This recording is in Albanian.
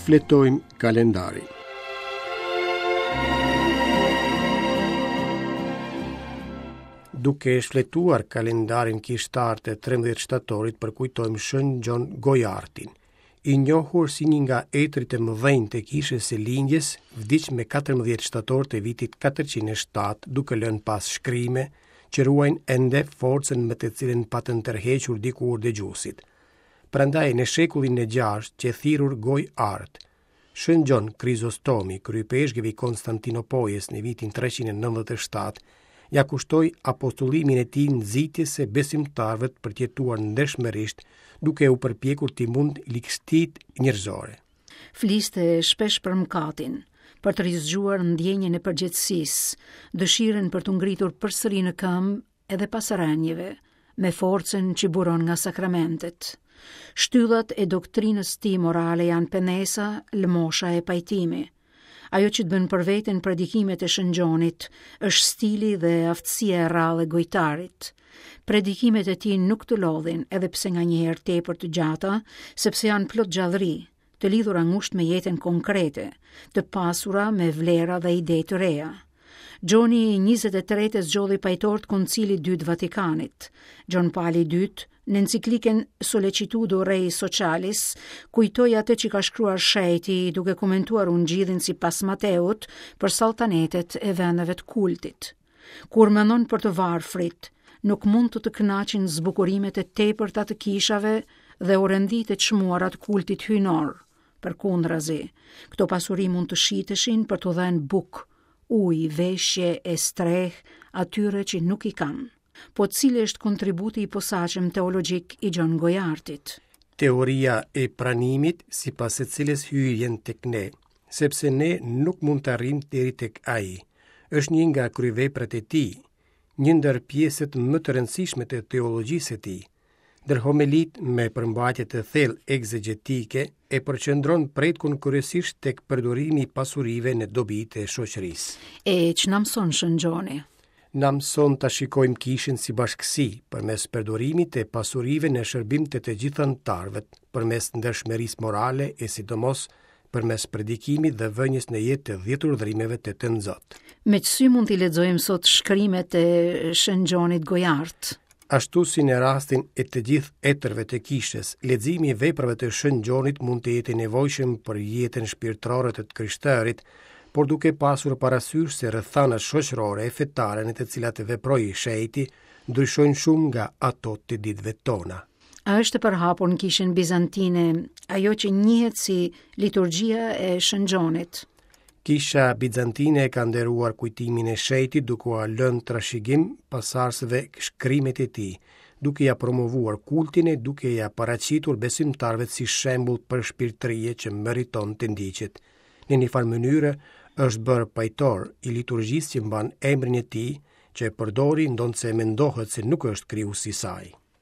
Shfletojmë kalendarin. Duke shfletuar kalendarin kishtar të 13 shtatorit përkujtojmë Shën Gjon Gojartin. I njohur si një nga etërit e mëdhenj të Kishës së Lindjes, vdiq me 14 shtator të vitit 407, duke lënë pas shkrime që ruajnë ende forcën me të cilën patën tërhequr dikur dëgjuesit. Prandaj në shekullin e gjashtë qe thirrur Gojëartë. Shën Gjon Krizostomi, kryeipeshkëv i Konstantinopojës në vitin 397, ia kushtoi apostullimin e tij nxitjes së besimtarëve për të jetuar ndershmërisht, duke u përpjekur t'i mundë ligësitë njerëzore. Fliste shpesh për mëkatin, për të rizgjuar ndjenjën e përgjegjësisë, dëshirën për t'u ngritur përsëri në këmbë edhe pas rënieve, me forcën që buron nga sakramentet. Shtyllat e doktrinës tij morale janë penesa, lëmosha e pajtimi. Ajo që të bën për veten predikimet e Shën Gjonit është stili dhe aftësia e rrallë e gojtarit. Predikimet e tij nuk të lodhin, edhe pse nganjëherë tepër të gjata, sepse janë plot gjallëri, të lidhura ngushtë me jetën konkrete, të pasura me vlera dhe ide të reja. Gjoni i 23 e zgjodhi pajtor të Koncilit të Dytë Vatikanit. Gjon Pali i Dytë, në enciklikën Sollecitudo Rei Socialis, kujtoi atë që ka shkruar shejti duke komentuar ungjillin sipas Mateut për salltanetet e vendeve të kultit. Kur mendon për të varfrit, nuk mund të të kënaqin zbukurimet e tepërta të kishave dhe orenditë e çmuara të kultit hyjnor. Përkundrazi, këto pasuri mund të shiteshin për t'u dhënë bukë, ujë, veshje e strehë atyre që nuk i kanë. Po cili është kontributi i posaçëm teologjik i Gjon Gojartit? Teoria e pranimit, sipas së cilës Hyji vjen tek ne, sepse ne nuk mund të arrijmë deri tek ai. Është një nga kryeveprat e tij, një ndër pjesët më të rëndësishme të teologjisë së tij. Ndër homelitë me përmbajtje të thellë ekzegjetike e përqendron pretkun kryesisht tek përdorimi i pasurive në dobi të shoqërisë. E ç'na mëson Shën Gjoni? Na mëson ta shikojmë kishën si bashkësi, përmes përdorimit të pasurive në shërbim të të gjithë anëtarëve, përmes ndershmërisë morale e sidomos përmes predikimit dhe vënies në jetë të dhjetë urdhërimeve të Tënzot. Me ç'sy mund t'i lexojmë sot shkrimet e Shën Gjonit Gojart? Ashtu si në rastin e të gjithë etërve të kishës, leximi i veprave të Shën Gjonit mund të jetë i nevojshëm për jetën shpirtërore të të krishterit, por duke pasur parasysh se rrethanat shoqërore e fetare në të cilat veproi shejti ndryshojnë shumë nga ato të ditëve tona. A është e përhapur në kishën bizantine ajo që njihet si liturgjia e Shën Gjonit? Kisha Bizantine e ka nderuar kujtimin e shejtit duke ua lënë trashëgim pasardhësve shkrimet e tij, duke ia promovuar kultin e duke ia paraqitur besimtarëve si shembull përshpirtërie që meriton të ndiqet. Në një farë mënyre është bërë pajtor i liturgjisë që mban emrin e tij, që e përdori ndonëse mendohet se nuk është krijuesi i saj.